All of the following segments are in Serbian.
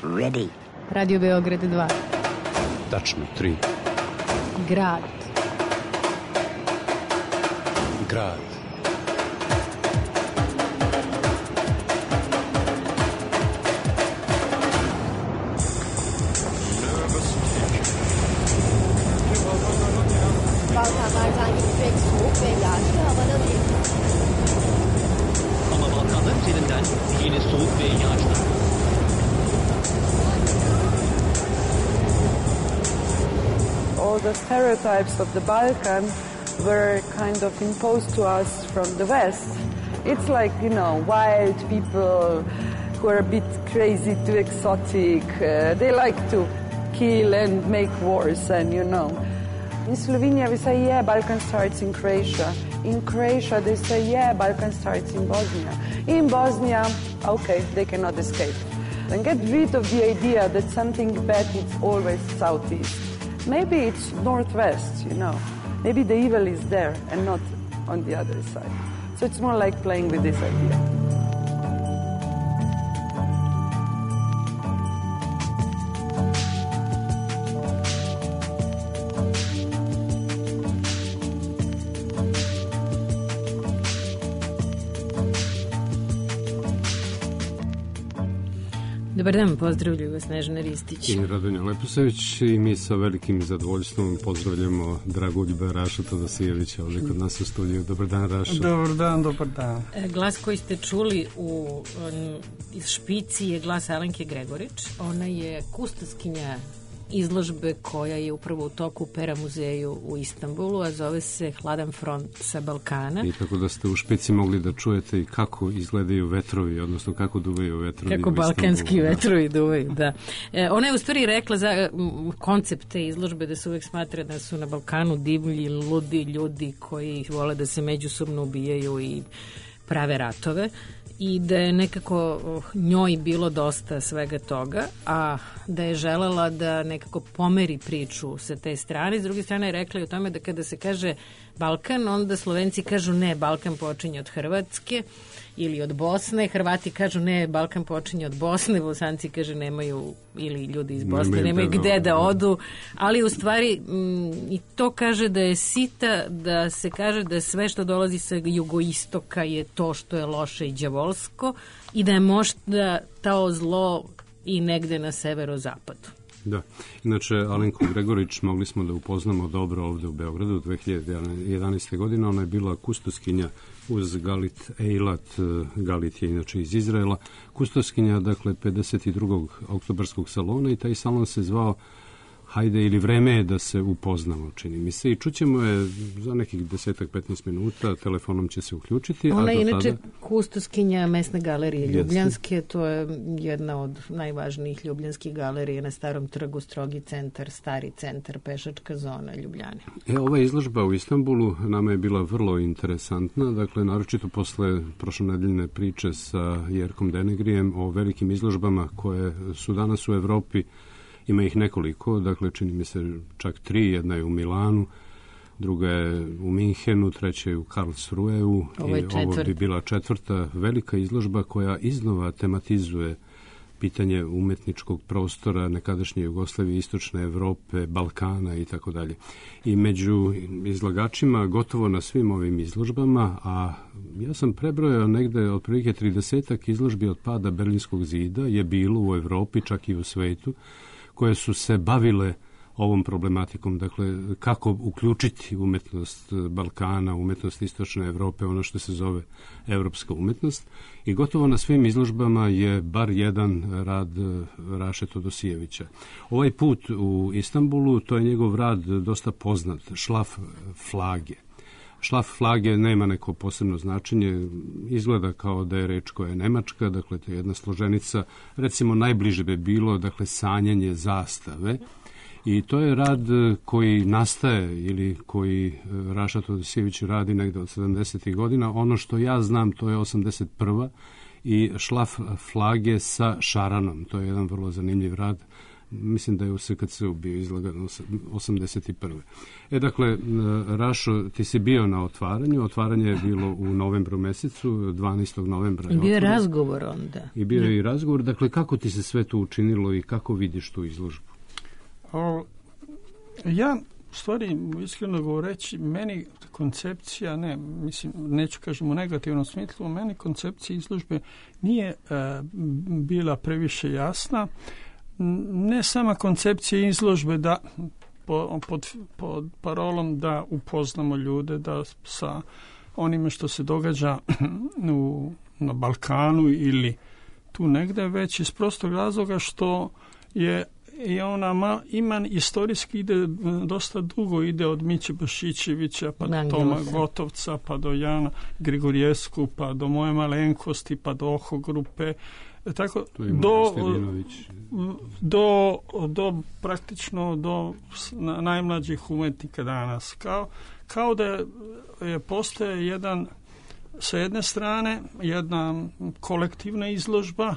Ready. Radio Beograd 2. Tačno 3. Grad. Grad. Balkanlardan gidecek soğuk ve yağışlı havada değil. Ama Balkanlar üzerinden yine soğuk ve yağışlı. All the stereotypes of the Balkan were kind of imposed to us from the West. It's like, you know, wild people who are a bit crazy, too exotic. They like to kill and make wars, and you know. In Slovenia, we say, yeah, Balkan starts in Croatia. In Croatia, they say, yeah, Balkan starts in Bosnia. In Bosnia, okay, they cannot escape. And get rid of the idea that something bad is always southeast. Maybe it's northwest, you know. Maybe the evil is there and not on the other side. So it's more like playing with this idea. Dobar dan, pozdravljaju vas Snežana Ristić. I Radonja Leposević i mi sa velikim zadovoljstvom pozdravljamo Dragoljuba Raša Todosijevića ovdje kod nas u studiju. Dobar dan, Raša. Dobar dan. Glas koji ste čuli iz špici je glas Alenke Gregorić. Ona je kustoskinja izložbe koja je upravo u toku u Pera muzeju u Istanbulu, a zove se Hladan front sa Balkana. I tako da ste u špici mogli da čujete i kako izgledaju vetrovi, odnosno kako duvaju vetrovi kako u Istanbulu. Kako balkanski vetrovi duvaju, da. Ona je u stvari rekla za koncept te izložbe da se uvek smatra da su na Balkanu divlji, ludi ljudi koji vole da se međusobno ubijaju i prave ratove. I da je nekako njoj bilo dosta svega toga, a da je želela da nekako pomeri priču sa te strane. S druge strane je rekla i o tome da kada se kaže Balkan, onda Slovenci kažu ne, Balkan počinje od Hrvatske ili od Bosne, Hrvati kažu ne, Balkan počinje od Bosne, Bosanci kaže nemaju, ili ljudi iz Bosne nemaju gde da odu, ali u stvari i to kaže da je sita, da se kaže da sve što dolazi sa jugoistoka je to što je loše i đavolsko i da je možda to zlo i negde na severozapadu. Da, inače Alenku Gregorić mogli smo da upoznamo dobro ovde u Beogradu 2011. godine. Ona je bila kustoskinja uz Galit Eilat. Galit je inače iz Izraela. Kustoskinja, dakle, 52. oktobarskog salona i taj salon se zvao Hajde ili vreme je da se upoznamo, čini mi se. I čućemo je za nekih 10-15 minuta, telefonom će se uključiti. Ona je inače kustoskinja Mesne galerije Ljubljanske, to je jedna od najvažnijih ljubljanskih galerija na Starom trgu, Strogi centar, Stari centar, pešačka zona Ljubljane. Ova izložba u Istanbulu nama je bila vrlo interesantna, dakle, naročito posle prošlonedeljne priče sa Jerkom Denegrijem o velikim izložbama koje su danas u Evropi. Ima ih nekoliko, dakle čini mi se čak 3, jedna je u Milanu, druga je u Minhenu, treća je u Karlsruheu i ovo bi bila 4. velika izložba koja iznova tematizuje pitanje umetničkog prostora nekadašnje Jugoslavije, Istočne Evrope, Balkana i tako dalje. I među izlagačima gotovo na svim ovim izložbama, a ja sam prebrojao negde otprilike 30 izložbi od pada Berlinskog zida je bilo u Evropi, čak i u svetu, koje su se bavile ovom problematikom, dakle, kako uključiti umetnost Balkana, umetnost Istočne Evrope, ono što se zove evropska umetnost. I gotovo na svim izložbama je bar jedan rad Raše Todosijevića. Ovaj put u Istanbulu, to je njegov rad dosta poznat, Šlaf flage. Šlaf flage nema neko posebno značenje, izgleda kao da je reč koja je nemačka, dakle to je jedna složenica, recimo najbliže bi bilo, dakle, sanjanje zastave. I to je rad koji nastaje ili koji Raša Todosijević radi negde od 70. godina. Ono što ja znam, to je 81. i Šlaf flage sa šaranom. To je jedan vrlo zanimljiv rad mislim da je u SKC-u bio izlagan 81. Dakle, Rašo, ti si bio na otvaranju. Otvaranje je bilo u novembru mesecu, 12. novembra. Bio je razgovor onda. I bio je i razgovor. Dakle, kako ti se sve to učinilo i kako vidiš tu izložbu? Ja, u stvari, iskreno govoreći, meni koncepcija, neću kažem u negativnom smislu, meni koncepcija izložbe nije bila previše jasna. Ne sama koncepcija izložbe da pod parolom da upoznamo ljude, da sa onime što se događa na Balkanu ili tu negde, već iz prostog razloga što je i ona ima istorijski ide dosta dugo, ide od Miće Bašićevića pa do Toma Gotovca pa do Jana Grigorjesku pa do Moje malenkosti pa do Oho grupe, tako do praktično do najmlađih umetnika danas, kao da je postoje jedan, sa jedne strane jedna kolektivna izložba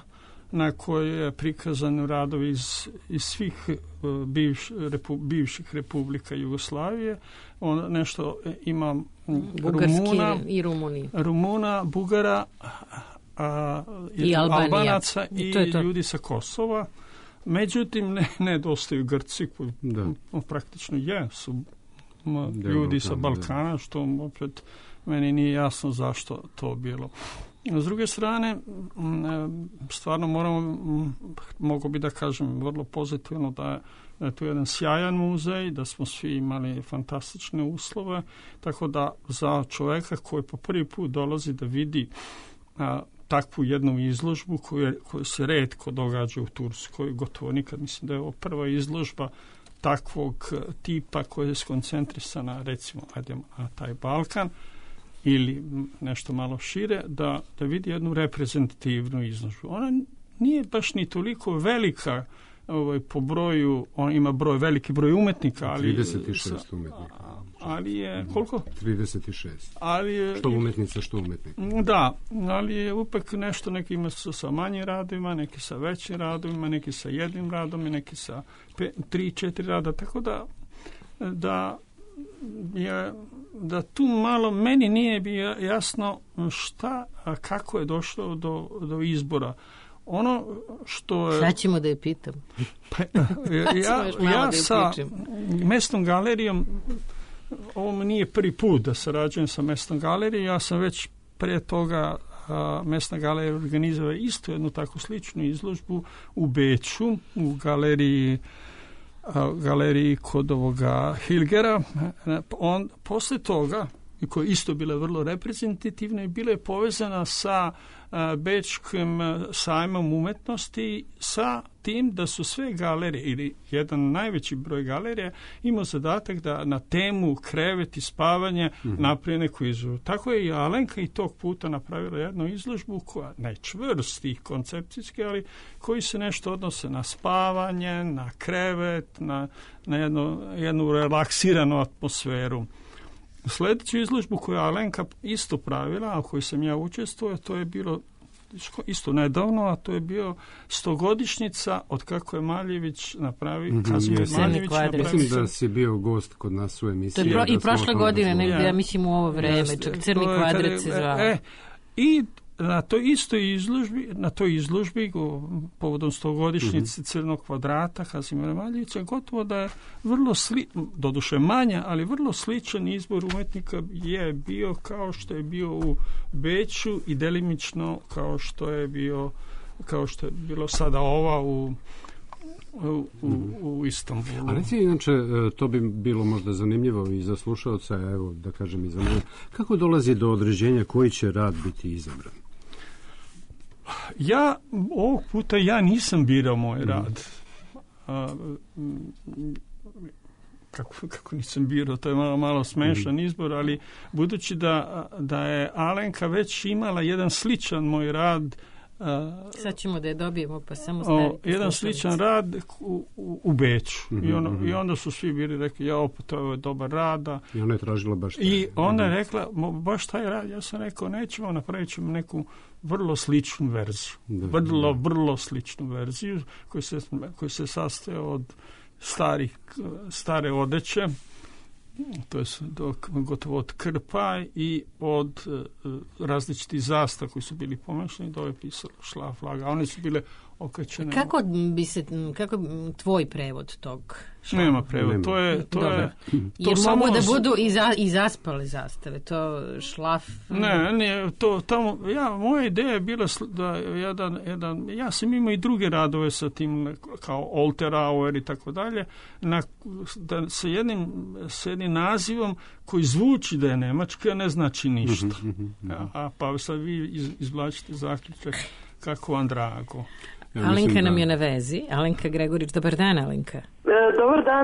na kojoj je prikazan radovi iz svih bivših republika Jugoslavije. Nešto ima Rumuna, Bugara i Albanaca i ljudi sa Kosova. Međutim, nedostaju Grci koji praktično su ljudi sa Balkana, što opet meni nije jasno zašto to bilo. S druge strane, stvarno mogu bi da kažem vrlo pozitivno da je tu jedan sjajan muzej, da smo svi imali fantastične uslove, tako da za čoveka koji po prvi put dolazi da vidi takvu jednu izložbu koju se retko događa u Turskoj, gotovo nikad, mislim da je ovo prva izložba takvog tipa koja je skoncentrisana, recimo, na taj Balkan, ili nešto malo šire, da vidi jednu reprezentativnu izložbu. Ona nije baš ni toliko velika po broju, on ima veliki broj umetnika, ali 36 umetnika. Ali je koliko? 36. Ali je, što umetnica, što umetnik. Da, ali je upek nešto, neki ima sa manjim radovima, neki sa većim radovima, neki sa jednim radom i neki sa 3-4 rada, tako da tu malo meni nije bilo jasno kako je došlo do izbora. Ono što je... Sad ćemo da je pitam. Ja sa Mesnom galerijom, ovo nije prvi put da sarađujem sa Mesnom galerijom, ja sam već pre toga Mesna galerija organizovala isto jednu takvu sličnu izložbu u Beču, u galeriji kod ovoga Hilgera. Posle toga, koja je isto bila vrlo reprezentativna i bila je povezana sa Bečkim sajmom umetnosti, sa tim da su sve galerije ili jedan najveći broj galerija imao zadatak da na temu krevet i spavanje napravi neku izložbu. Tako je i Alenka i tog puta napravila jednu izložbu koja najčvrstih koncepcijski, ali koji se nešto odnose na spavanje, na krevet, na jednu relaksiranu atmosferu. Sljedeću izložbu koju je Alenka isto pravila, a koju sam ja učestvovao, to je bilo isto nedavno, a to je bio 100-godišnjica od kako je Maljević napravi, Kazimir Maljević napravi. Mislim da si bio gost kod nas u emisiji. I prošle godine, negdje, ja mislim u ovo vreme, čak Crni kvadrat se zvao. I na toj izložbi povodom 100-godišnjice Crnog kvadrata Kazimira Maljevića, gotovo da je vrlo doduše manja, ali vrlo sličan izbor umetnika je bio kao što je bio u Beču i delimično kao što je bilo sada ova u Istanbulu. A reci, inače, to bi bilo možda zanimljivo i za slušalca, evo da kažem i za mene. Kako dolazi do određenja koji će rad biti izabran? Ovog puta nisam birao moj rad. Kako nisam birao, to je malo smešan izbor, ali budući da je Alenka već imala jedan sličan moj rad Sad ćemo da je dobijemo, pa samo staviti jedan sličan rad u Beču. I onda su svi bili rekli, to je dobar rada. I ona je tražila baš taj. I ona je rekla, baš taj rad. Ja sam rekao, nećemo, napravit ćemo neku vrlo sličnu verziju. Vrlo sličnu verziju koja se sastoje od stare odeće, to je gotovo od krpa i od različitih zastava koji su bili pomešani, dole je pisalo šlaflaga, a one su bile okačene. Kako tvoj prevod tog šlaflaga? Nema prevod, to je jer mogu da budu i zaspale zastave, to šlaf... Ne, to tamo, moja ideja je bila da ja sam imao i druge radove sa tim, kao Olterauer i tako dalje, sa jednim nazivom koji zvuči da je nemački, a ne znači ništa. Pa sad vi izvlačite zaključak kako vam drago. Alenka nam je na vezi. Alenka Gregorić, dobar dan, Alenka.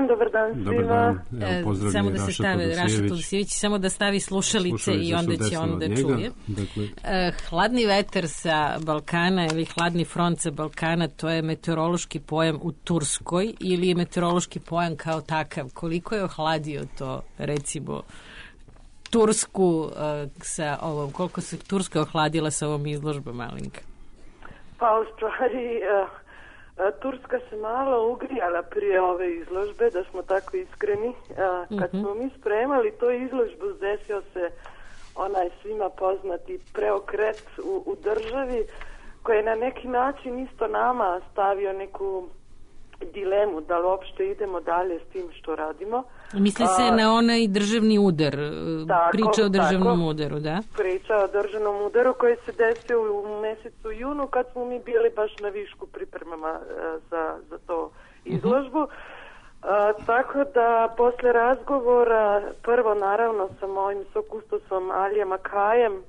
Dobar dan svima. Samo da se stavi Raša Todosijević, samo da stavi slušalice i onda će on da čuje. Hladni vetar sa Balkana ili hladni front sa Balkana, to je meteorološki pojam u Turskoj ili je meteorološki pojam kao takav? Koliko je ohladio to, recimo, Tursku sa ovom, koliko se Turska ohladila sa ovom izložbom, Alenka? Pa u stvari Turska se malo ugrijala prije ove izložbe, da smo tako iskreni. Kad smo mi spremali tu izložbu, desio se onaj svima poznati preokret u državi, koji je na neki način isto nama stavio neku dilemu da li uopšte idemo dalje s tim što radimo. Misli se na onaj državni udar, priča o državnom udaru, da? Priča o državnom udaru koji se desio u mesecu junu kad smo mi bili baš na višku pripremama za to izložbu. Tako da posle razgovora, prvo naravno sa mojim sokustosom Alijem Akajem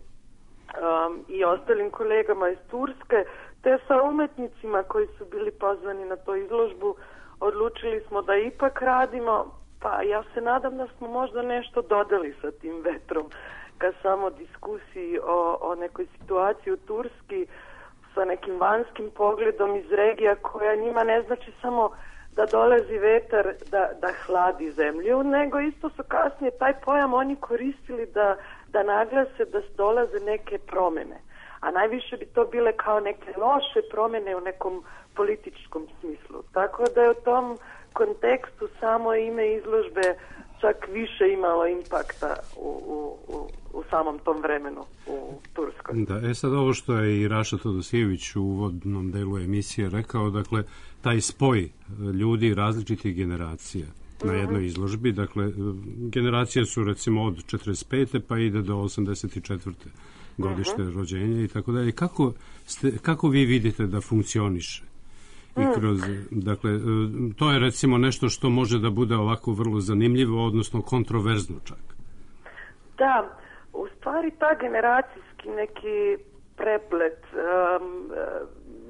i ostalim kolegama iz Turske, te sa umetnicima koji su bili pozvani na tu izložbu, odlučili smo da ipak radimo. Pa ja se nadam da smo možda nešto dodali sa tim vetrom ka samo diskusiji o nekoj situaciji u Turski sa nekim vanjskim pogledom iz regija koja njima ne znači samo da dolazi vetar da hladi zemlju, nego isto su kasnije taj pojam oni koristili da naglase da dolaze neke promjene. A najviše bi to bile kao neke loše promjene u nekom političkom smislu. Tako da je u tom kontekstu samo ime izložbe čak više imalo impakta u samom tom vremenu u Turskoj. Da, sad ovo što je i Raša Todosijević u uvodnom delu emisije rekao, dakle, taj spoj ljudi različitih generacija na jednoj izložbi, dakle, generacije su recimo od 45. pa ide do 84. godište rođenja i tako dalje. Kako vi vidite da funkcioniše? I kroz, dakle, to je recimo nešto što može da bude ovako vrlo zanimljivo, odnosno kontroverzno čak. Da, u stvari ta generacijski neki preplet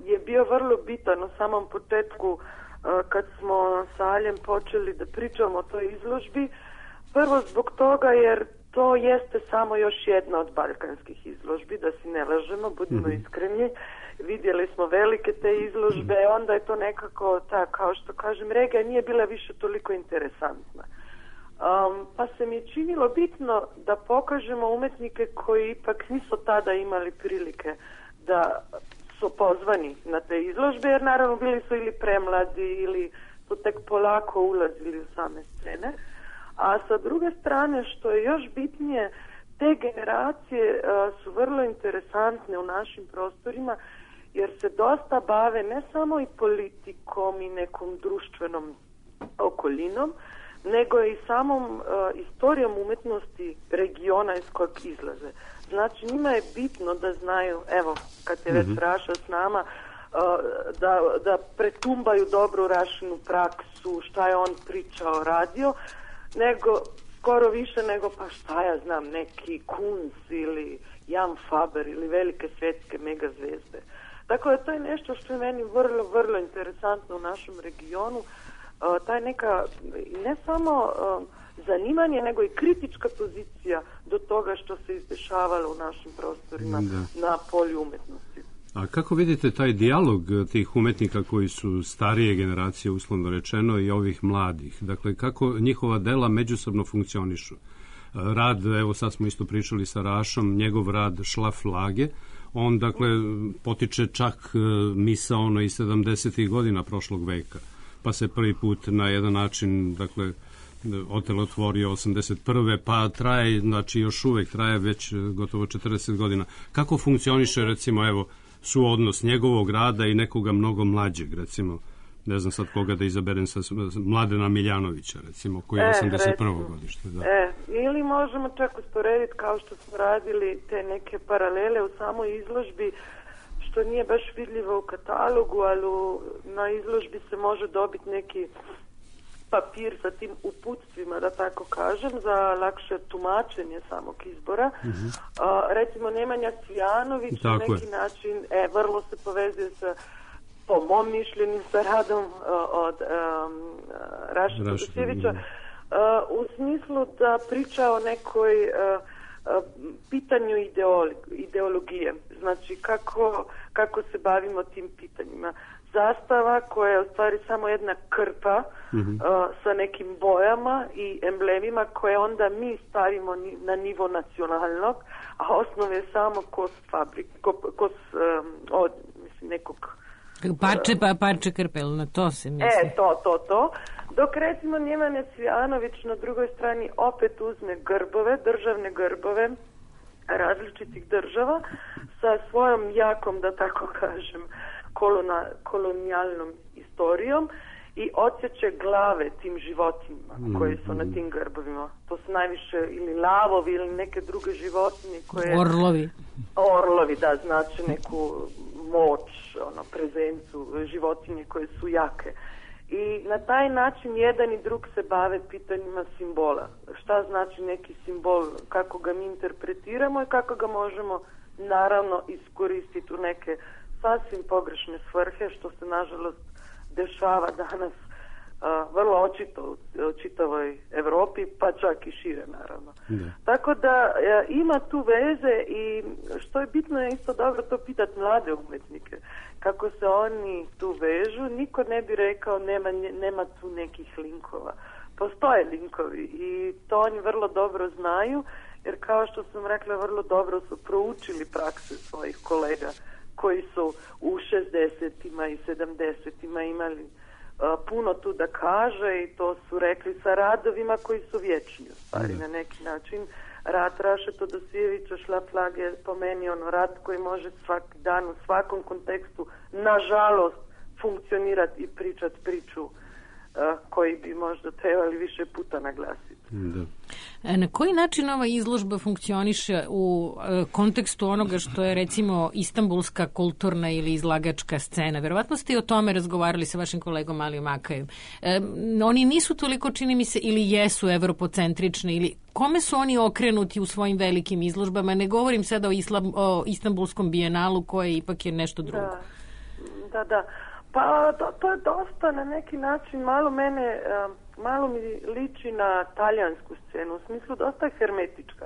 je bio vrlo bitan u samom početku kad smo sa Aljem počeli da pričamo o toj izložbi. Prvo zbog toga jer to jeste samo još jedna od balkanskih izložbi, da si ne lažemo, budimo iskreni. Vidjeli smo velike te izložbe, onda je to nekako, kao što kažem, regija nije bila više toliko interesantna. Pa se mi je činilo bitno da pokažemo umetnike koji ipak nisu tada imali prilike da su pozvani na te izložbe, jer naravno bili su ili premladi ili su tek polako ulazili u same scene. A sa druge strane, što je još bitnije, te generacije su vrlo interesantne u našim prostorima, jer se dosta bave ne samo i politikom i nekom društvenom okolinom, nego i samom istorijom umetnosti regiona iz kojeg izlaze. Znači, njima je bitno da znaju, evo, kad je već Raša s nama, da pretumbaju dobru Rašinu praksu, šta je on pričao, radio, nego skoro više nego pa šta ja znam, neki Kunz ili Jan Faber ili velike svjetske megazvijezde. Dakle, to je nešto što je meni vrlo, vrlo interesantno u našem regionu. Taj neka, ne samo zanimanje, nego i kritička pozicija do toga što se izdešavalo u našim prostorima na polju umetnosti. A kako vidite taj dijalog tih umetnika koji su starije generacije, uslovno rečeno, i ovih mladih? Dakle, kako njihova dela međusobno funkcionišu? Rad, evo sad smo isto pričali sa Rašom, njegov rad Šlaf Lage, on, dakle, potiče čak misaono i 70. godina prošlog veka, pa se prvi put na jedan način, dakle, otelotvorio 81. pa traje, znači još uvek traje već gotovo 40 godina. Kako funkcioniše, recimo, evo, suodnos njegovog rada i nekoga mnogo mlađeg, recimo, ne znam sad koga da izaberem, sa Mladena Miljanovića, recimo, koji je 81. godište. Da. Ili možemo čak usporediti, kao što smo radili te neke paralele u samoj izložbi, što nije baš vidljivo u katalogu, ali na izložbi se može dobiti neki papir sa tim uputstvima, da tako kažem, za lakše tumačenje samog izbora. Recimo, Nemanja Cvijanović na neki način vrlo se povezuje sa, po mom mišljenju, sa radom od Raša Todosijevića, u smislu da priča o nekoj pitanju ideologije. Znači, kako se bavimo tim pitanjima. Zastava koja je u stvari samo jedna krpa sa nekim bojama i emblemima koje onda mi stavimo na nivo nacionalnog, a osnov je samo nekog parče krpe, na to se misli. To. Dok recimo Nemanja Cvijanović na drugoj strani opet uzme grbove, državne grbove različitih država sa svojom jakom, da tako kažem, kolonijalnom istorijom i odsjeće glave tim životinjima koje su na tim grbovima. To su najviše ili lavovi ili neke druge životinje koje... Orlovi, da, znači neku moć, prezencu životinje koje su jake. I na taj način jedan i drug se bave pitanjima simbola. Šta znači neki simbol, kako ga mi interpretiramo i kako ga možemo naravno iskoristiti u neke sasvim pogrešne svrhe, što se nažalost dešava danas vrlo očito u čitavoj Evropi, pa čak i šire naravno. Tako da ima tu veze i što je bitno je isto dobro to pitati mlade umetnike. Kako se oni tu vežu, niko ne bi rekao nema tu nekih linkova. Postoje linkovi i to oni vrlo dobro znaju, jer kao što sam rekla, vrlo dobro su proučili prakse svojih kolega koji su u 60-ima i 70-ima imali puno tu da kaže i to su rekli sa radovima koji su vječni u stvari na neki način. Rad Raše Todosijevića Šlaf Lage je po meni rad koji može svaki dan u svakom kontekstu nažalost funkcionirati i pričati priču koji bi možda trebali više puta naglasiti. Na koji način ova izložba funkcioniše u kontekstu onoga što je recimo istanbulska kulturna ili izlagačka scena? Verovatno ste i o tome razgovarali sa vašim kolegom Alijom Akajem. Oni nisu toliko, čini mi se, ili jesu evropocentrični, ili kome su oni okrenuti u svojim velikim izložbama? Ne govorim sada o Istanbulskom bijenalu koje ipak je nešto drugo. Da. Pa to je dosta na neki način, malo mi liči na talijansku scenu, u smislu dosta hermetička.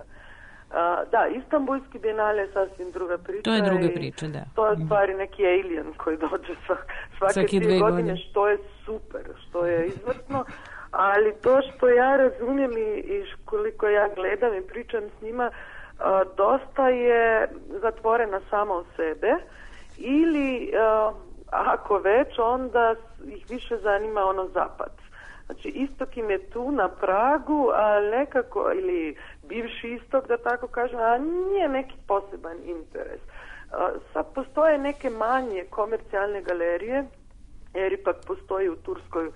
Da, Istanbulski bijenal je sasvim druga priča. To je druga priča, da. To je stvari neki alien koji dođe svake 2 godine, što je super, što je izvrsno, ali to što ja razumijem i koliko ja gledam i pričam s njima, dosta je zatvorena sama u sebe ili... ako već, onda ih više zanima zapad. Znači, istok im je tu na pragu, a nekako, ili bivši istok, da tako kažem, a nije neki poseban interes. Sad postoje neke manje komercijalne galerije, jer ipak postoji u Turskoj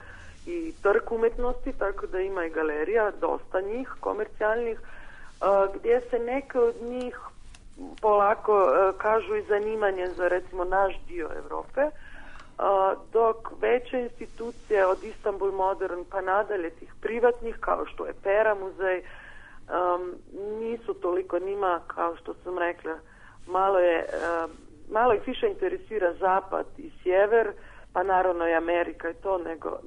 i trg umetnosti, tako da ima i galerija, dosta njih komercijalnih, gdje se neke od njih polako kažu i zanimanje za recimo naš dio Evrope, dok veće institucije od Istanbul Modern pa nadalje tih privatnih kao što je Pera muzej nisu toliko njima, kao što sam rekla, malo ih više interesira zapad i sjever, pa naravno i Amerika i to,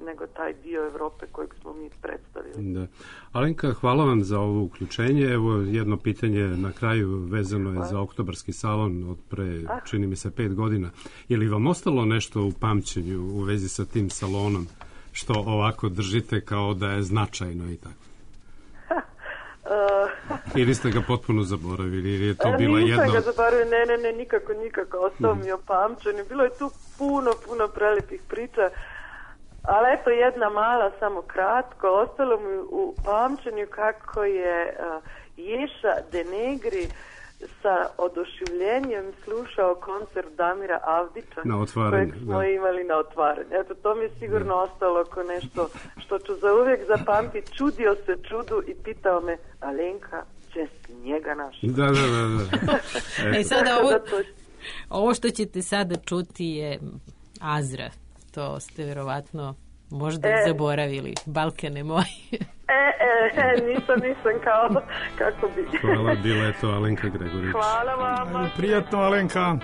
nego taj dio Evrope kojeg smo mi predstavili. Da. Alenka, hvala vam za ovo uključenje. Evo jedno pitanje na kraju vezano je za oktobarski salon od pre, čini mi se, 5 godina. Je li vam ostalo nešto u pamćenju u vezi sa tim salonom što ovako držite kao da je značajno i tako? Ili ste ga potpuno zaboravili, ili je to bila jedna... Nisam ga zaboravila, ne, nikako, ostao mi je opamćen. Bilo je tu puno prelepih priča, ali eto jedna mala, samo kratko, ostalo mi u pamćenju kako je Ješa Denegri sa oduševljenjem slušao koncert Damira Avdića kojeg smo imali na otvaranju. Eto, to mi je sigurno ostalo kao nešto što ću zauvijek zapamtiti. Čudio se čudu i pitao me, Alenka, će si njega našao? Da. Sada ovo što ćete sada čuti je Azra. To ste verovatno možda zaboravili. Balkane moji. Nisam kao kako bi. Hvala, bila je to Alenka Gregorić. Hvala vam. Prijatno, Alenka.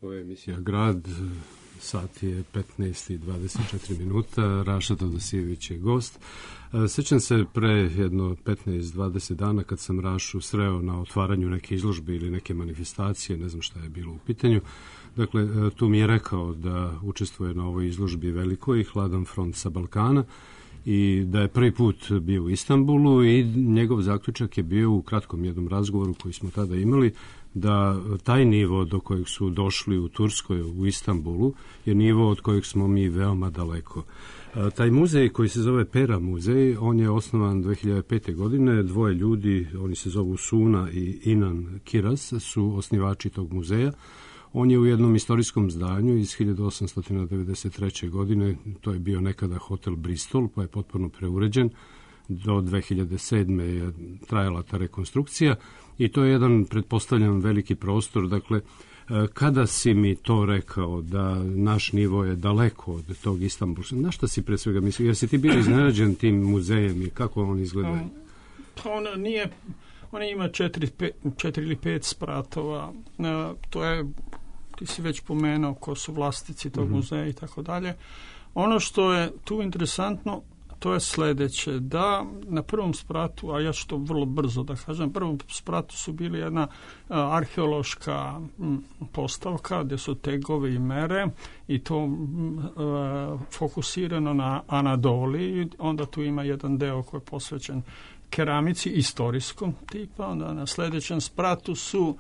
Ovo je emisija Grad, sat je 15:24 minuta, Raša Todosijević je gost. Sjećam se pre jedno 15-20 dana kad sam Rašu sreo na otvaranju neke izložbe ili neke manifestacije, ne znam šta je bilo u pitanju. Dakle, tu mi je rekao da učestvuje na ovoj izložbi velikoj, Hladan front sa Balkana, i da je prvi put bio u Istanbulu i njegov zaključak je bio u kratkom jednom razgovoru koji smo tada imali, da taj nivo do kojeg su došli u Turskoj, u Istanbulu, je nivo od kojeg smo mi veoma daleko. Taj muzej koji se zove Pera muzej, on je osnovan 2005. godine, dvoje ljudi, oni se zovu Suna i Inan Kiraz, su osnivači tog muzeja. On je u jednom istorijskom zdanju iz 1893. godine, to je bio nekada hotel Bristol, pa je potpuno preuređen. Do 2007. je trajala ta rekonstrukcija i to je jedan, pretpostavljam, veliki prostor. Dakle, kada si mi to rekao da naš nivo je daleko od tog Istanbulskog, na šta si pre svega mislio? Jer si ti bio iznenađen tim muzejem i kako on izgleda? On ima 4 ili 5 spratova. To je, ti si već pomenuo ko su vlasnici tog muzeja i tako dalje. Ono što je tu interesantno, to je sljedeće, da na prvom spratu, a ja ću to vrlo brzo da kažem, na prvom spratu su bili jedna arheološka postavka gdje su tegovi i mere i to fokusirano na Anadoliji. Onda tu ima jedan deo koji je posvećen keramici istorijskom tipa. Onda na sljedećem spratu su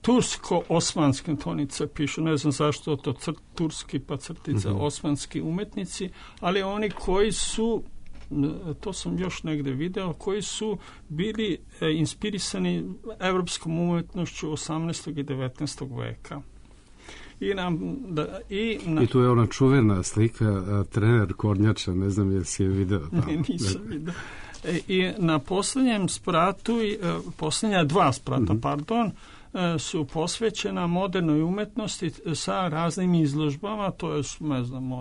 tursko-osmanski, tonice pišu, ne znam zašto to turski pa crtica osmanski umetnici, ali oni koji su, to sam još negdje video, koji su bili inspirisani evropskom umetnošću 18. i 19. veka. I tu je ona čuvena slika trener Kornjača, ne znam jel si je video tamo. Nisam video. I na posljednjem spratu, posljednja 2 sprata, su posvećena modernoj umetnosti sa raznim izložbama, to je, ne znam,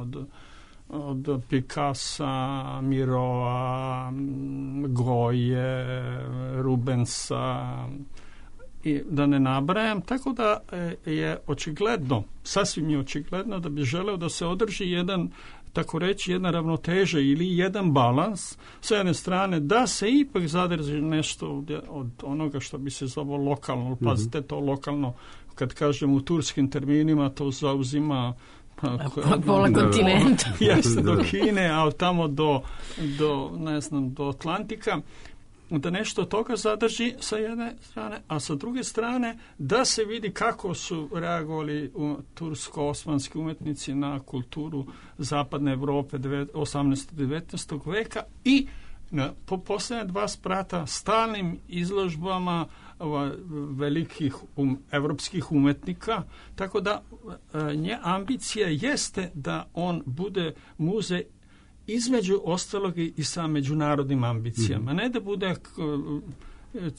od Picassa, Mirova, Goje, Rubensa, i da ne nabrajam, tako da je očigledno, sasvim je očigledno da bi želeo da se održi jedan, tako reći, jedna ravnoteža ili jedan balans s jedne strane, da se ipak zadrži nešto od onoga što bi se zvalo lokalno. Pazite, to lokalno, kad kažem u turskim terminima, to zauzima pola kontinenta. Jeste, do Kine, a tamo do ne znam, do Atlantika. Da nešto toga zadrži sa jedne strane, a sa druge strane da se vidi kako su reagovali tursko-osmanski umetnici na kulturu zapadne Evrope 18. i 19. veka i po posljednje 2 sprata stalnim izložbama velikih evropskih umetnika, tako da nje ambicija jeste da on bude muzej između ostalog i sa međunarodnim ambicijama. Ne da bude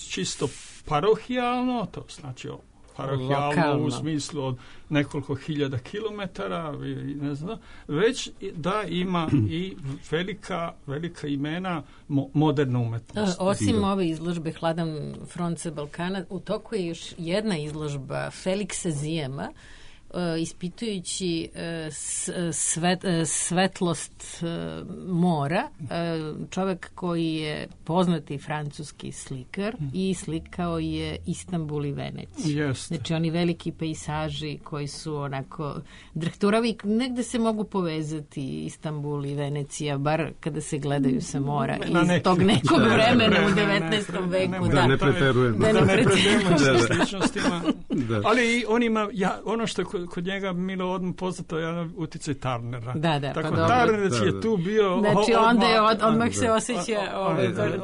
čisto parohijalno, to znači parohijalno u smislu od nekoliko hiljada kilometara, ne znam, već da ima i velika imena moderne umetnosti. Osim ove izložbe Hladan front sa Balkana, u toku je još jedna izložba Feliksa Zijema, ispitujući svetlost mora, čovjek koji je poznati francuski slikar i slikao je Istanbul i Veneciju. Znači oni veliki pejsaži koji su onako drhturavi, negde se mogu povezati Istanbul i Venecija, bar kada se gledaju sa mora iz tog nekog vremena u 19. veku. Da ne preterujemo. Da ne preterujemo s sličnostima. Ali on ima, ono što kod njega Milo odmah poznato je uticaj Tarnera. Tako Tarner je tu bio. Znači onda je odmah se osjeća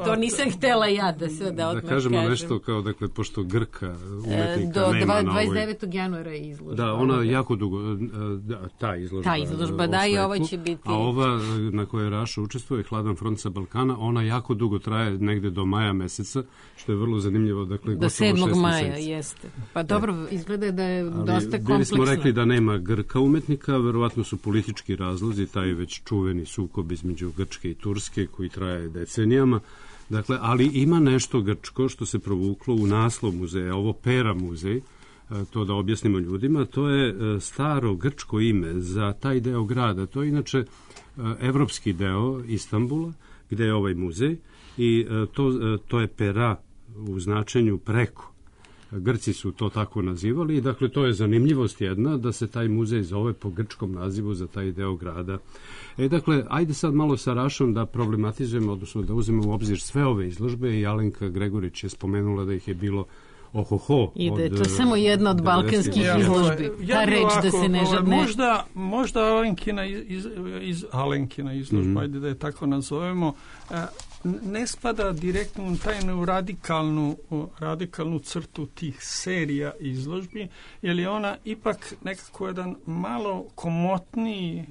to nisam htjela ja da se da odmah kažemo nešto kao, dakle, pošto Grka umetnika nema na ovoj. 29. januara je izložba. Da, ona jako dugo, ta izložba, da, i ovo će biti. A ova na kojoj Raša učestvuje, Hladan front sa Balkana, ona jako dugo traje, negde do maja meseca, što je vrlo zanimljivo, dakle, do 7. maja, jeste. Pa dobro, izgleda da je dosta kompleksno. Bili smo rekli da nema Grka umetnika, verovatno su politički razlozi, taj već čuveni sukob između Grčke i Turske koji traje decenijama. Dakle, ali ima nešto grčko što se provuklo u naslov muzeja, ovo Pera muzej, to da objasnimo ljudima. To je staro grčko ime za taj deo grada. To je inače evropski deo Istanbula, gde je ovaj muzej, i to je pera u značenju preko. Grci su to tako nazivali i dakle to je zanimljivost jedna da se taj muzej zove po grčkom nazivu za taj deo grada. Dakle, ajde sad malo sa Rašom da problematizujemo, odnosno da uzmemo u obzir sve ove izložbe i Alenka Gregorić je spomenula da ih je bilo ohoho. I da je to samo jedna od balkanskih izložbi. Ta reč da se ne žadne. Možda Alenkina izložba, ajde da je tako nazovemo, ne spada direktno u tajnu radikalnu crtu tih serija izložbi, jer je ona ipak nekako jedan malo komotniji,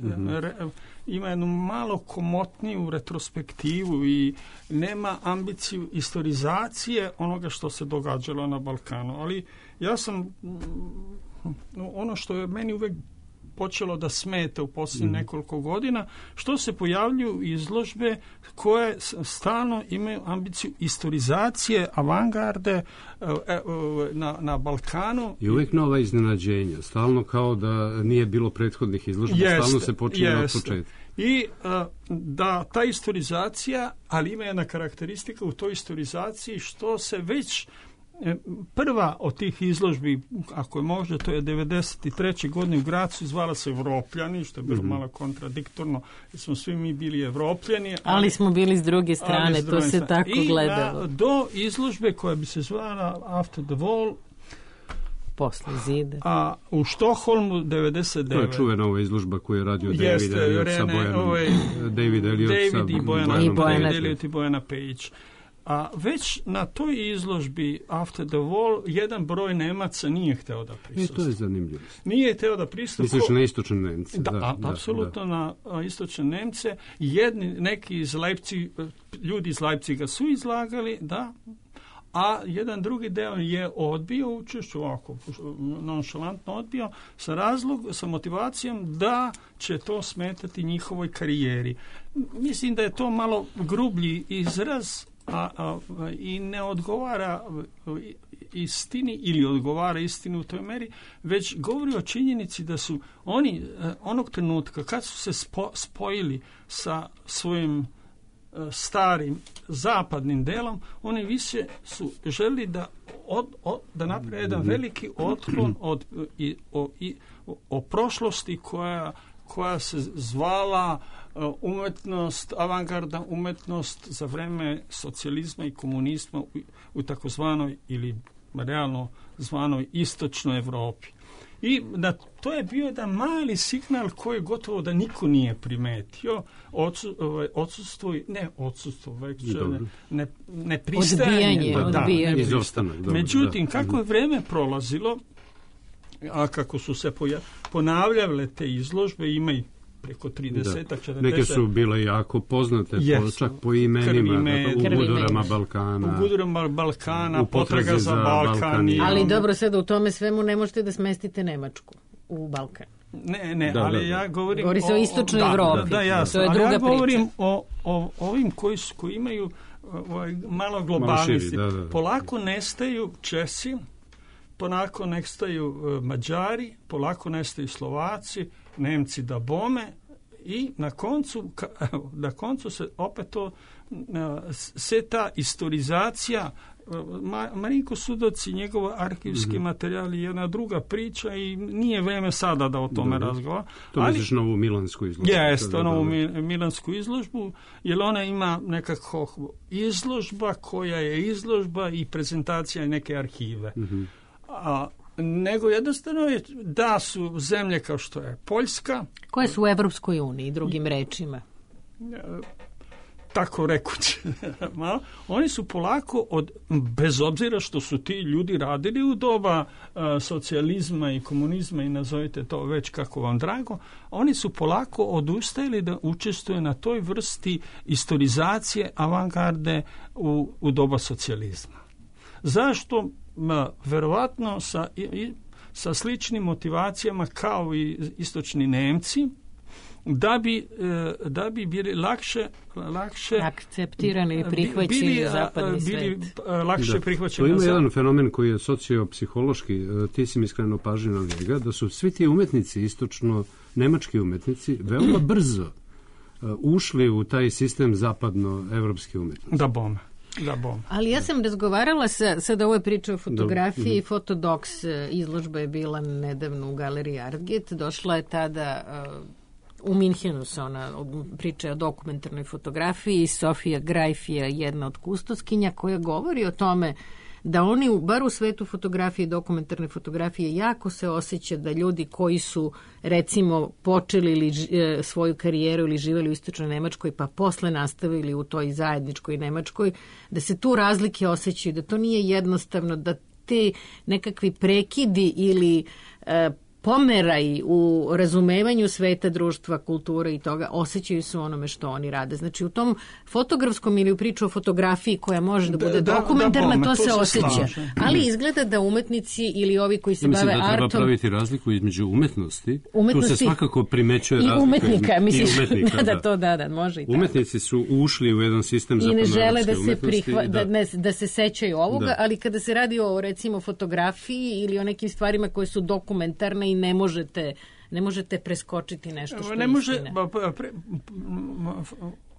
ima jednu malo komotniju retrospektivu i nema ambiciju historizacije onoga što se događalo na Balkanu. Ali ja sam, ono što je meni uvek počelo da smeta u posljednjih nekoliko godina, što se pojavljuju izložbe koje stalno imaju ambiciju historizacije avangarde na Balkanu. I uvijek nova iznenađenja, stalno kao da nije bilo prethodnih izložba, stalno se počinje od početka. I da ta historizacija, ali ima jedna karakteristika u toj historizaciji što se već prva od tih izložbi, ako je može, to je 93. godine u Gracu, zvala se Evropljani, što je bilo malo kontradiktorno, jer smo svi mi bili Evropljani. Ali smo bili s druge strane, to se tako gledalo. I do izložbe koja bi se zvala After the Wall, posle zida. A u Štokholmu 99. To je čuvena ova izložba koju je radio David Elliot sa Bojanom. David Elliot i Bojana Pejić. A već na toj izložbi After the Wall jedan broj Nemaca nije hteo da prisustuje. I to je zanimljivo. Nije hteo da prisustuje. Misliš na istočne Nemce? Da, apsolutno na istočne Nemce. Neki iz Leipziga, ljudi iz Leipziga su izlagali, da, a jedan drugi deo je odbio učešću, ovako nonšalantno odbio, sa motivacijom da će to smetati njihovoj karijeri. Mislim da je to malo grublji izraz, i ne odgovara istini ili odgovara istini u toj meri, već govori o činjenici da su oni onog trenutka kad su se spojili sa svojim starim zapadnim delom, oni više su želi da naprave jedan veliki otklon o prošlosti koja se zvala umetnost, avangardna umetnost za vreme socijalizma i komunizma u takozvanoj ili realno zvanoj istočnoj Evropi. I to je bio jedan mali signal koji gotovo da niko nije primetio, nepristajanje. Međutim, kako je vreme prolazilo, a kako su se ponavljale te izložbe, ima i preko 30-40. Neke su bile jako poznate, čak po imenima, u Gudurama Balkana. U Gudurama Balkana, Potraga za Balkan. Ali dobro, sad u tome svemu ne možete da smestite Nemačku u Balkan. Ne, ali ja govorim o istočnoj Evropi. To je druga priča. Ja govorim o ovim koji imaju malo globalnosti. Polako nestaju Česi, polako nestaju Mađari, polako nestaju Slovaci, Nemci da bome, i na koncu se opet se ta historizacija, Marinko Sudac i njegov arhivski materijal je jedna druga priča i nije vreme sada da o tome razgovara. To misliš na ovu milansku izložbu? Jeste, na ovu milansku izložbu, jer ona ima nekako izložba koja je izložba i prezentacija neke arhive. Nego jednostavno je da su zemlje kao što je Poljska, koje su u Evropskoj uniji, drugim rečima, tako rekući, oni su polako, bez obzira što su ti ljudi radili u doba socijalizma i komunizma i nazovite to već kako vam drago, oni su polako odustajali da učestvuju na toj vrsti historizacije avangarde u doba socijalizma. Zašto? Verovatno sa sličnim motivacijama kao i istočni Nemci, da bi bili lakše akceptirani i prihvaćeni zapadni svet. Lakše prihvaćeni. To ima jedan fenomen koji je sociopsihološki, ti si mi skrenuo pažnju na njega, da su svi ti umetnici, istočno-nemački umetnici, veoma brzo ušli u taj sistem zapadno-evropske umetnosti. Da bome. Ali ja sam razgovarala sad ovo je priča o fotografiji, Fotodoks izložba je bila nedavno u galeriji Artget, došla je tada u Minhenu se ona priča o dokumentarnoj fotografiji, Sofija Grajf je jedna od kustoskinja koja govori o tome da oni, bar u svetu fotografije i dokumentarne fotografije, jako se osjeća da ljudi koji su, recimo, počeli svoju karijeru ili živjeli u istočnoj Nemačkoj, pa posle nastavili u toj zajedničkoj Nemačkoj, da se tu razlike osjećaju, da to nije jednostavno, da te nekakvi prekidi ili pomeraj u razumevanju sveta, društva, kulture i toga osjećaju se u onome što oni rade. Znači u tom fotografskom ili u priču o fotografiji koja može da bude dokumentarna, to se osjeća. Ali izgleda da umetnici ili ovi koji se bave artom... Mislim da treba praviti razliku između umetnosti. Tu se svakako primećuje razlika. I umetnika, misliš. I umetnika, da, može i tako. Umetnici su ušli u jedan sistem zapadnoevropske umetnosti. Da se sećaju ovoga, ali kada se radi o, recimo, fotografiji ili o nekim stvarima koje su dokumentarne i ne možete preskočiti nešto što je istina.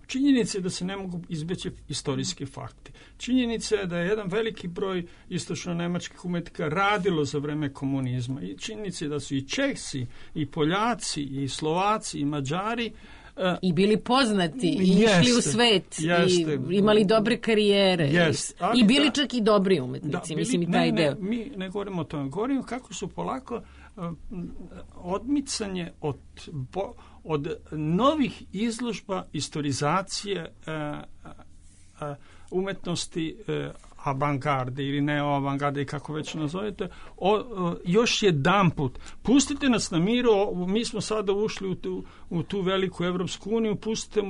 Činjenica je da se ne mogu izbeći istorijski fakti. Činjenica je da je jedan veliki broj istočno-nemačkih umetnika radilo za vreme komunizma. I činjenica je da su i Česi, i Poljaci, i Slovaci, i Mađari i bili poznati i išli u svet i imali dobre karijere i bili čak i dobri umetnici. Mislim i taj deo. Mi ne govorimo o tome. Govorimo kako su polako odmicanje od novih izložba, istorizacije umetnosti avangarde ili neoavangarde i kako već nazovete, još jedanput pustite nas na miru, mi smo sada ušli u tu veliku Evropsku uniju, pustite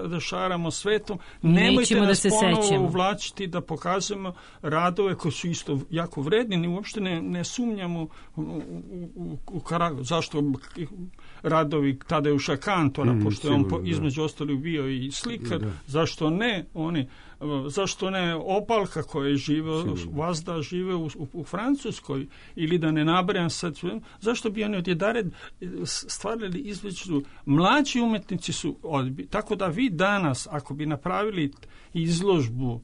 da šaramo svetom, nemojte nas ponovo uvlačiti da pokazujemo radove koji su isto jako vredni, uopšte ne sumnjamo u karakter. Zašto radovi Tadeuša Kantora, pošto je on između ostalih bio i slikar, zašto ne oni, zašto ne Opalka koja je Vazda žive u Francuskoj, ili da ne nabrajam sad, zašto bi oni odjedare stvarali izveću. Mlađi umetnici su tako da vi danas, ako bi napravili izložbu,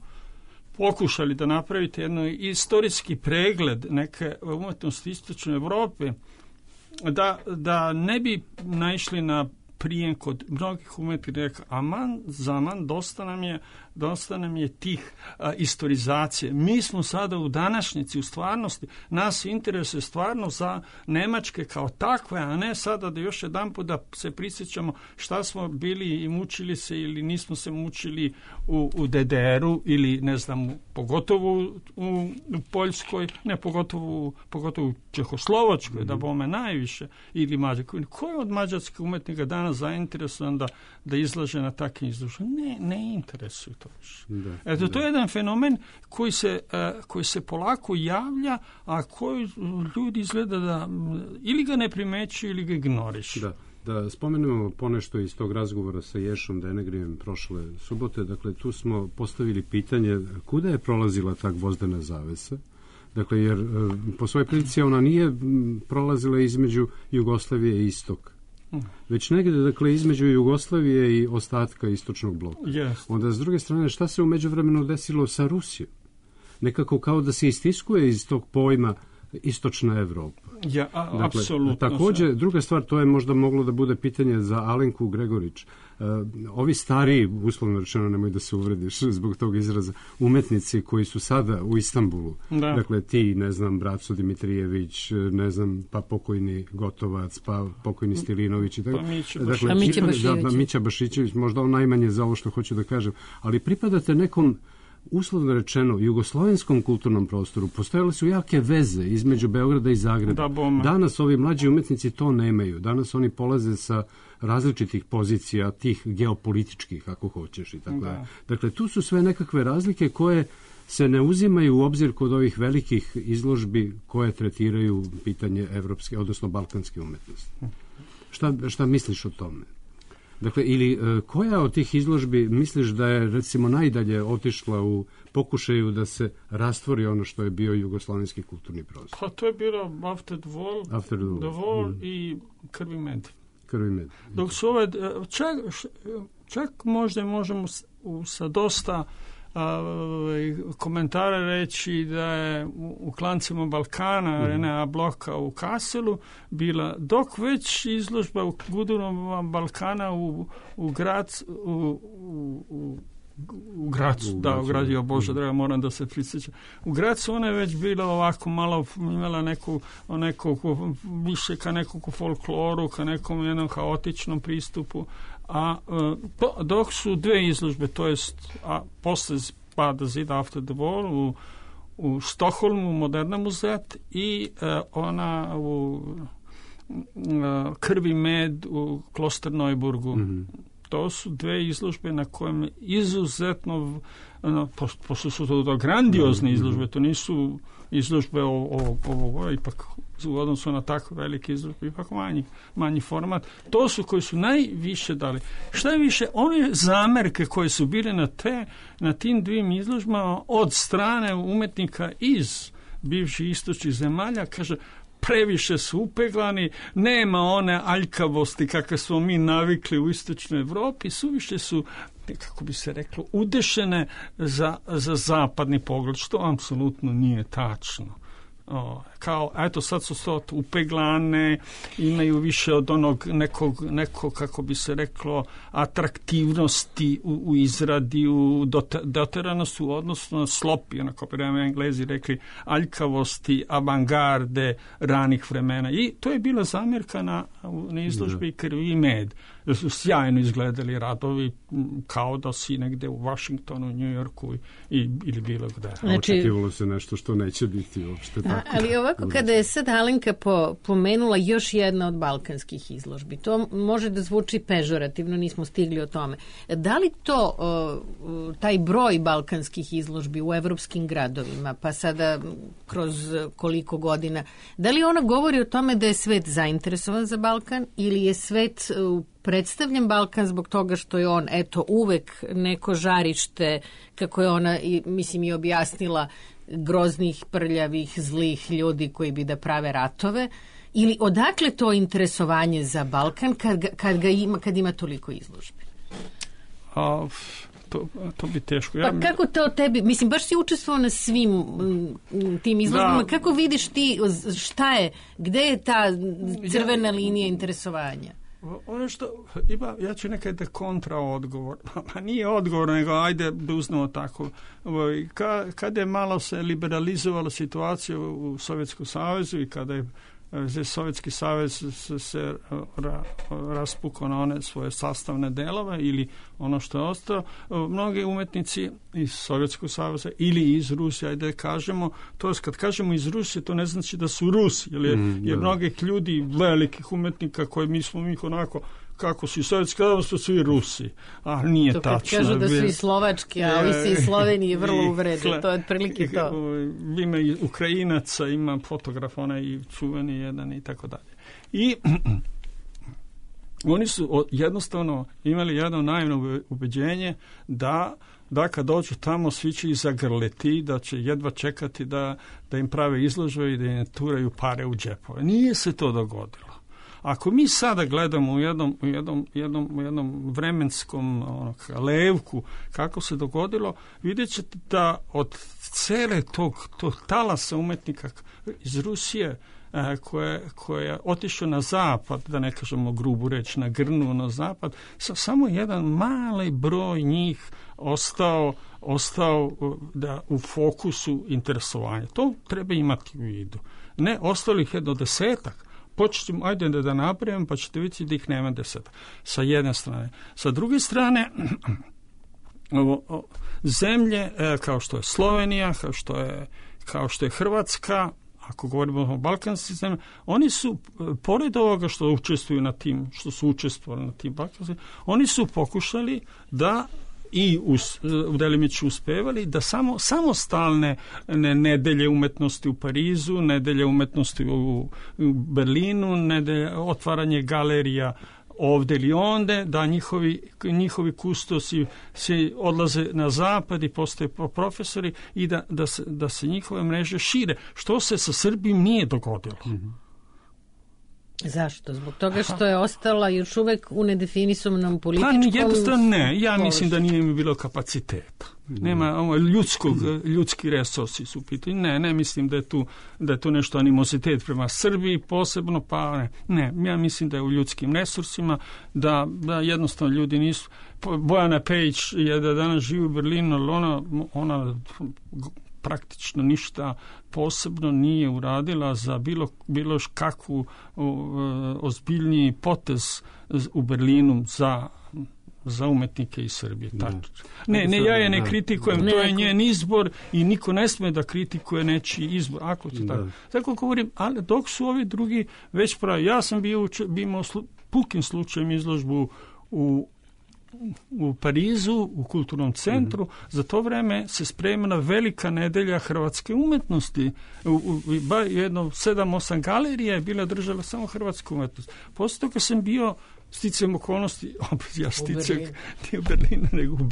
pokušali da napravite jedno istorijski pregled neke umetnosti istočne Evrope, da ne bi naišli na prijem kod mnogih umetnika, aman, dosta nam je tih istorizacije. Mi smo sada u današnjici, u stvarnosti, nas interesuje stvarno za Nemačke kao takve, a ne sada da još jedanput da se prisjećamo šta smo bili i mučili se ili nismo se mučili u DDR-u ili ne znam, pogotovo u Poljskoj, ne pogotovo u Čehoslovačkoj, da bome najviše, ili Mađarskoj. Ko je od mađarskih umetnika danas zainteresovan da izlaže na takvim izloženjima? Ne interesuje to više. To je jedan fenomen koji se polako javlja, a koji ljudi izgleda da ili ga ne primećuju ili ga ignorišu. Da spomenemo ponešto iz tog razgovora sa Ješom Denegrijem prošle subote. Dakle, tu smo postavili pitanje kuda je prolazila ta gvozdena zavesa. Dakle, jer po svojoj prilici ona nije prolazila između Jugoslavije i istoka, već negdje, dakle, između Jugoslavije i ostatka istočnog bloka. Onda, s druge strane, šta se u međuvremenu desilo sa Rusijom? Nekako kao da se istiskuje iz tog pojma istočna Evropa. Apsolutno. Također, druga stvar, to je možda moglo da bude pitanje za Alenku Gregorić. Ovi stariji, uslovno rečeno, nemoj da se uvrediš zbog tog izraza, umetnici koji su sada u Istanbulu, dakle ti, ne znam, Braco Dimitrijević, ne znam, pa pokojni Gotovac, pa pokojni Stilinović i tako. Mića Bašićević, možda on najmanje za ovo što hoću da kažem, ali pripadate nekom, uslovno rečeno, jugoslovenskom kulturnom prostoru. Postojale su jake veze između Beograda i Zagreba. Danas ovi mlađi umetnici to nemaju. Danas oni polaze sa različitih pozicija, tih geopolitičkih, ako hoćeš i tako. Dakle, tu su sve nekakve razlike koje se ne uzimaju u obzir kod ovih velikih izložbi koje tretiraju pitanje evropske, odnosno balkanske umetnosti. Šta misliš o tome? Dakle, ili koja od tih izložbi misliš da je, recimo, najdalje otišla u pokušaju da se rastvori ono što je bio jugoslovenski kulturni prostor? Pa to je bilo After the Wall i Krvi med. Dok su ove, čak možda možemo sa dosta komentara reći da je u Klancima Balkana Renea Bloka u Kasselu bila, dok već izložba u Gudurama Balkana u Gracu, u Gracu, Bože draga, moram da se prisjećam. U Gracu ona je već bila ovako malo, imala neku više ka nekog folkloru, ka nekom jednom haotičnom pristupu, a dok su dve izložbe, to jest posle pada zida After the Wall u Stokholmu, Moderna muzet, i ona u Krvi med u Klosterneuburgu. To su dve izložbe na kojem izuzetno, pošto su to grandiozne izložbe, to nisu izložbe ovo ipak u odnosu na tako velike izložbe, ipak manji format. To su koji su najviše dali. Šta je više, one zamerke koje su bile na tim dvim izložbama od strane umetnika iz bivših istočnih zemalja, kaže, previše su upeglani, nema one aljkavosti kakve smo mi navikli u istočnoj Evropi, suviše su, kako bi se reklo, udešene za zapadni pogled, što apsolutno nije tačno. Kao, eto, sad su to upeglane, imaju više od onog nekog, kako bi se reklo, atraktivnosti u izradi, doterano su odnosno na slopi, onako bi Englezi rekli, aljkavosti, avangarde ranih vremena. I to je bila zamjerka na izložbi Krvi i med. Da su sjajno izgledali radovi, kao da si negde u Washingtonu, New Yorku ili bilo gde. Znači, očekivalo se nešto što neće biti uopšte tako. Ali ovako, kada je sad Alenka pomenula još jedna od balkanskih izložbi, to može da zvuči pežorativno, nismo stigli o tome. Da li to, taj broj balkanskih izložbi u evropskim gradovima, pa sada kroz koliko godina, da li ona govori o tome da je svet zainteresovan za Balkan ili je svet predstavljen Balkan zbog toga što je on, eto, uvek neko žarište, kako je ona, mislim, i objasnila, groznih, prljavih, zlih ljudi koji bi da prave ratove, ili odakle to interesovanje za Balkan kad ima toliko izložbi? To bi teško. Pa kako to tebi, mislim, baš si učestvovao na svim tim izložbama, kako vidiš ti, šta je, gde je ta crvena linija interesovanja? Ono što ima, ja ću nekaj da kontra odgovor, a nije odgovor, nego ajde da uznamo tako. Kada je malo se liberalizovala situacija u Sovjetskom savezu i kada je Sovjetski savez se raspukao na one svoje sastavne delove ili ono što je ostalo, mnogi umetnici iz Sovjetskog saveza ili iz Rusije, ajde kažemo, to je kad kažemo iz Rusije, to ne znači da su Rusi, jer mnogih ljudi, velikih umetnika koji mi smo onako, kako su i Sovjetski savez, su svi Rusi, a nije to tačno. Kažu da su i Slovački, a ovi se iz Slovenije vrlo uvrede, to je otprilike to. Ima i Ukrajinaca, ima fotograf, onaj i čuveni jedan i tako dalje. I oni su jednostavno imali jedno naivno ubeđenje da kad dođu tamo svi će ih zagrliti, da će jedva čekati da im prave izložbe i da im turaju pare u džepove. Nije se to dogodilo. Ako mi sada gledamo u jednom vremenskom levku kako se dogodilo, vidjet ćete da od cele tog talasa umetnika iz Rusije koje je otišao na zapad, da ne kažemo grubu reč, na grnu na zapad, samo jedan mali broj njih ostao da u fokusu interesovanja. To treba imati u vidu. Ne, ostalih je do 10-ak. Počnemo, ajde da napravim, pa ćete vidjeti da ih nema 10. Sa jedne strane. Sa druge strane, zemlje kao što je Slovenija, kao što je Hrvatska, ako govorimo o balkanskim zemljama, oni su, pored ovoga što učestvuju na tim, što su učestvovali na tim balkanskim, oni su pokušali da i delimično uspevali da samostalne nedelje umetnosti u Parizu, nedelje umetnosti u Berlinu, otvaranje galerija ovde ili onde, da njihovi kustosi se odlaze na zapad i postaju profesori i da se njihove mreže šire, što se sa Srbijom nije dogodilo. Zašto? Zbog toga što je ostala još uvek u nedefinisanom političkom... Pa jednostavno ne, ja mislim da nije mi bilo kapaciteta. Nema ljudski resursi su pitanje. Ne mislim da je tu nešto animozitet prema Srbiji posebno, pa ne, ja mislim da je u ljudskim resursima, da jednostavno ljudi nisu... Bojana Pejić je da danas živi u Berlinu, ali ona praktično ništa posebno nije uradila za bilo kakvu ozbiljniji potez u Berlinu za umetnike iz Srbije. Ja je ne kritikujem, to je njen izbor i niko ne sme da kritikuje nečiji izbor. Ako to tako. Tako govorim, ali dok su ovi drugi već pravi. Ja sam bio imao pukim slučajem izložbu u Parizu, u kulturnom centru. Za to vreme se spremila velika nedelja hrvatske umetnosti. Jedno 7-8 galerija je bila držala samo hrvatsku umetnost. Posle toga sam bio sticajem okolnosti, ja sticam nije u Berlinu, nego u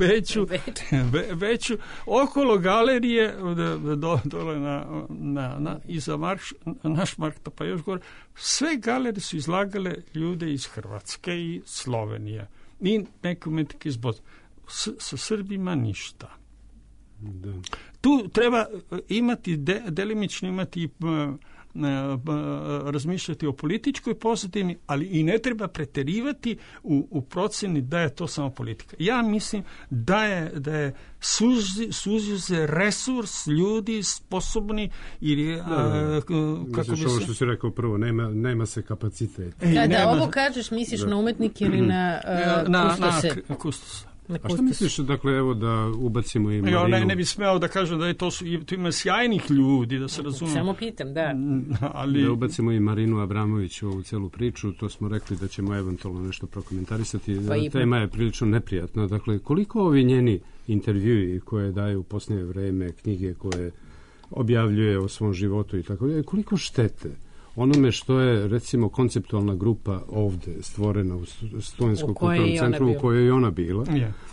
Beću, okolo galerije, dole iza naš Markta, pa još gore, sve galerije su izlagale ljude iz Hrvatske i Slovenije. I neke umetnike iz Bosne. Sa Srbima ništa. Da. Tu treba imati, delimično imati razmišljati o političkoj pozadini, ali i ne treba preterivati u proceni da je to samo politika. Ja mislim da je suzio se resurs ljudi sposobni ili misliš ovo što si rekao prvo, nema se kapacitet. Ovo kažeš, misliš na umetnike ili na kustose? A što misliš, dakle, evo da ubacimo i Marinu? Ne bi smeo da kažem da to ima sjajnih ljudi, da se razume. Samo pitam, da. Da ubacimo i Marinu Abramović u ovu celu priču, to smo rekli da ćemo eventualno nešto prokomentarisati. Tema je prilično neprijatna. Dakle, koliko ovi njeni intervjui koje daju u posljednje vreme, knjige koje objavljuje o svom životu i tako, koliko štete onome što je, recimo, konceptualna grupa ovde stvorena u Studenskom kulturnom centru u kojoj je ona bila.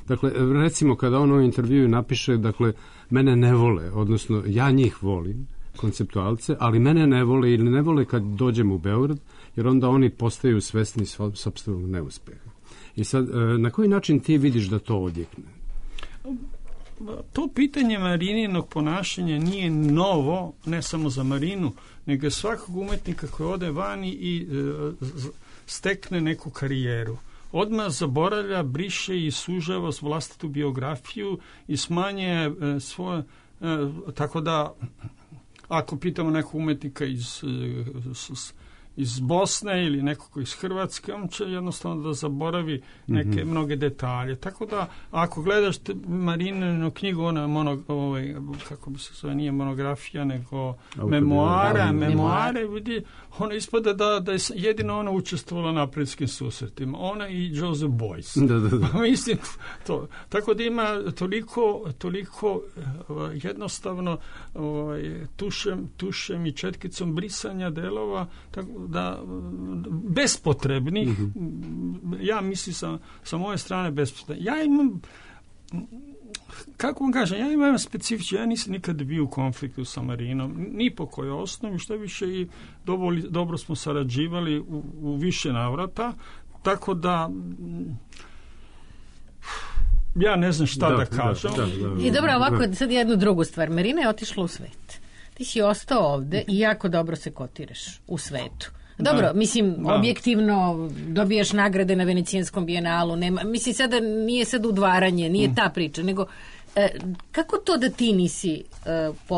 Dakle, recimo, kada on u intervjuu napiše, dakle, mene ne vole, odnosno ja njih volim, konceptualce, ali mene ne vole ili ne vole kad dođem u Beograd, jer onda oni postaju svesni sopstvenog neuspeha. I sad, na koji način ti vidiš da to odjekne? To pitanje Marininog ponašanja nije novo, ne samo za Marinu, nego svakog umetnika koji ode vani i stekne neku karijeru. Odmah zaboravlja, briše i sužava vlastitu biografiju i smanje svoje... Tako da, ako pitamo nekog umetnika iz Bosne ili nekog iz Hrvatske, on će jednostavno da zaboravi neke mnoge detalje. Tako da, ako gledaš Marininu knjigu, ona kako bi se zove, nije monografija, nego memoare, vidi, ona ispada da je jedino ona učestvovala na apriljskim susretima. Ona i Joseph Beuys. Da. Mislim, to. Tako da ima toliko jednostavno tušem i četkicom brisanja delova, tako da bespotrebnih, ja mislim sa moje strane bespotrebnih. Ja imam, kako vam kažem, ja imam specifično, ja nisam nikad bio u konfliktu sa Marinom, ni po kojoj osnovi, što više i dobro smo sarađivali u više navrata, tako da ja ne znam šta da kažem. I dobro, ovako, sad jednu drugu stvar. Marina je otišla u svet. Ti si ostao ovde i jako dobro se kotiraš u svetu. Dobro, mislim, objektivno dobijaš nagrade na Venecijanskom bijenalu, mislim, sada nije sad udvaranje, nije ta priča, nego kako to da ti nisi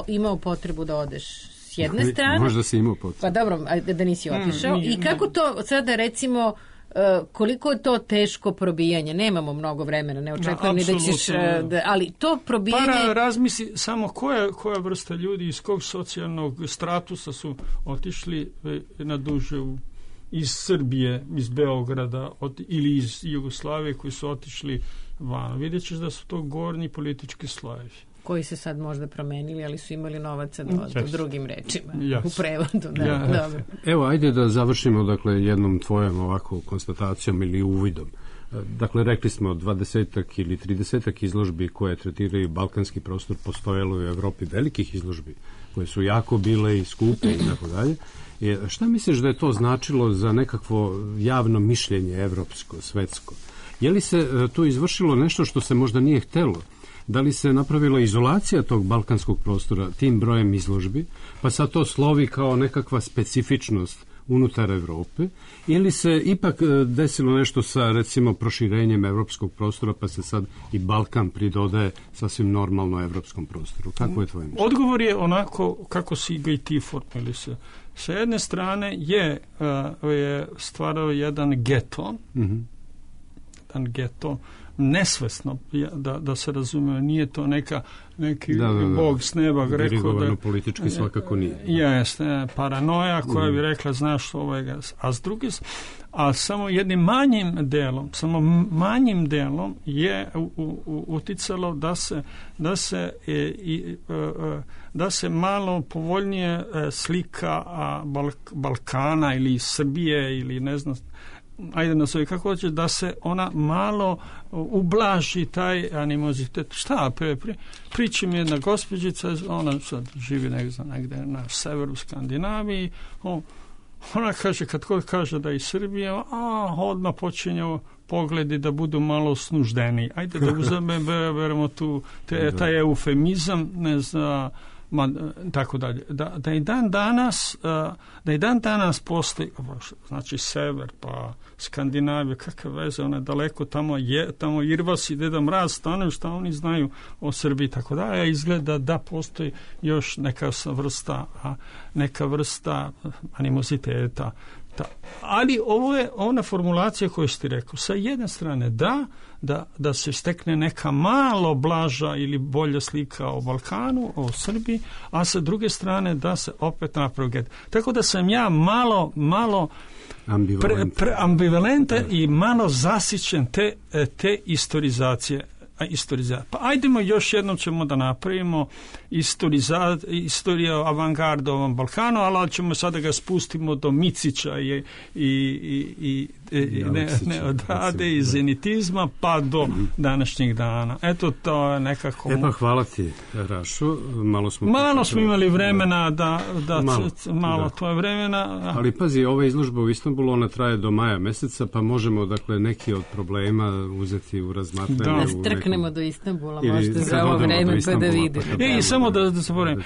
imao potrebu da odeš s jedne strane? Možda si imao potrebu. Pa dobro, da nisi otišao. I kako to sada, recimo, koliko je to teško probijanje? Nemamo mnogo vremena, ne očekujem ni da ćeš... ali to probijanje... Pa razmisli samo koja vrsta ljudi iz kog socijalnog statusa su otišli na duže iz Srbije, iz Beograda ili iz Jugoslavije koji su otišli van. Vidjet ćeš da su to gornji politički slojevi. koji se sad možda promenili, ali su imali novaca da drugim rečima u prevodu. Dobro. Evo, ajde da završimo dakle jednom tvojom ovako konstatacijom ili uvidom. Dakle, rekli smo 20-ak ili 30-ak izložbi koje tretiraju balkanski prostor, postojalo u Evropi velikih izložbi koje su jako bile i skupe i tako dalje. Šta misliš da je to značilo za nekakvo javno mišljenje evropsko, svetsko? Je li se tu izvršilo nešto što se možda nije htelo? Da li se napravila izolacija tog balkanskog prostora tim brojem izložbi, pa sad to slovi kao nekakva specifičnost unutar Evrope, ili se ipak desilo nešto sa, recimo, proširenjem evropskog prostora, pa se sad i Balkan pridodaje sasvim normalno evropskom prostoru? Kako je tvoje mišljenje? Odgovor je onako kako si ga i ti formili se. Sa jedne strane je stvarao jedan geto, nesvesno, da se razume, nije to neki bog s neba rekao dirigovano politički svakako nije. Jeste, paranoja koja bi rekla znaš ovoga, a samo jednim manjim delom je uticalo da se malo povoljnije slika Balkana ili Srbije ili ne znam, ajde nazove kako hoće, da se ona malo ublaži taj animozitet. Šta? Priča mi jedna gospođica, ona sad živi negdje na severu Skandinaviji, ona kaže, kad god kaže da je iz Srbije, odmah počinju pogledi da budu malo snuždeni. Ajde da uzmemo tu taj eufemizam, ne znam, tako dalje. Da i dan danas postoji, znači sever, pa Skandinavija, kakve veze, ona je daleko, tamo Irvas i Deda Mraz stanuju, šta oni znaju o Srbiji, tako da, izgleda da postoji još neka vrsta animoziteta. Ali ovo je ona formulacija koju si ti rekao. Sa jedne strane da se stekne neka malo blaža ili bolja slika o Balkanu, o Srbiji, a sa druge strane da se opet napravi get. Tako da sam ja malo ambivalentan i malo zasićen te istorizacije. Pa ajdemo još jednom ćemo da napravimo istoriju avangarda ovom Balkanu, ali ćemo sada ga spustimo do Micića i Ade i zenitizma pa do današnjih dana. Eto, to je nekako... Pa hvala ti, Rašo. Malo smo imali vremena to je vremena. Ali pazi, ova izložba u Istanbulu, ona traje do maja meseca, pa možemo, dakle, neki od problema uzeti u razmatranje. Strknemo do Istanbula, možete za ovo vreme pa da vidimo. I samo da se povremem.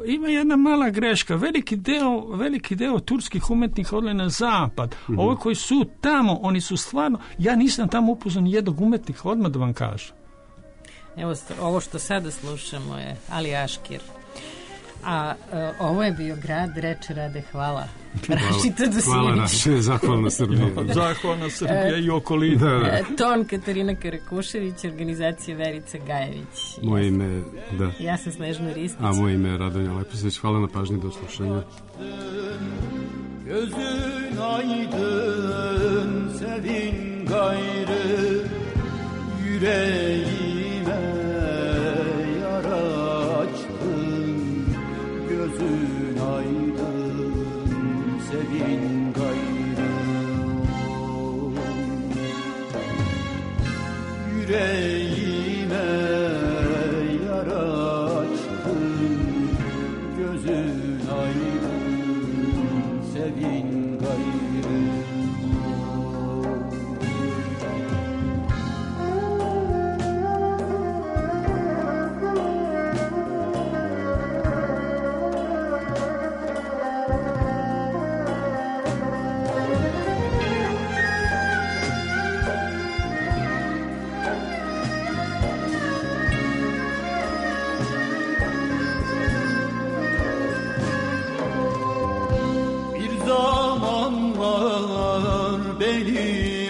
Ima jedna mala greška. Veliki deo turskih umetnika odlazi na zapad. Ovi koji su tamo, oni su stvarno, ja nisam tamo upoznao ni jednog umetnika, odmah da vam kažem. Evo, ovo što sada slušamo je Ali Aškir. A ovo je bio grad, reče Rade, hvala. Rašita Dosinić. Hvala Raše, zahvalna Srbija. Zahvalna Srbija i okolina. Ton Katarina Karakušević, organizacija Verica Gajević. Moje ime, da. Ja sam Snežna Ristić. A moje ime je Radonja Leposević. Hvala na pažnji, do slušanja. Gözün aydın, sevin gayrı, yüreğime yara açtın. Gözün aydın, sevin gayrı, yüreğime yara açtın. Gözün aydın, sevin gayrı. Bir zamanlar benim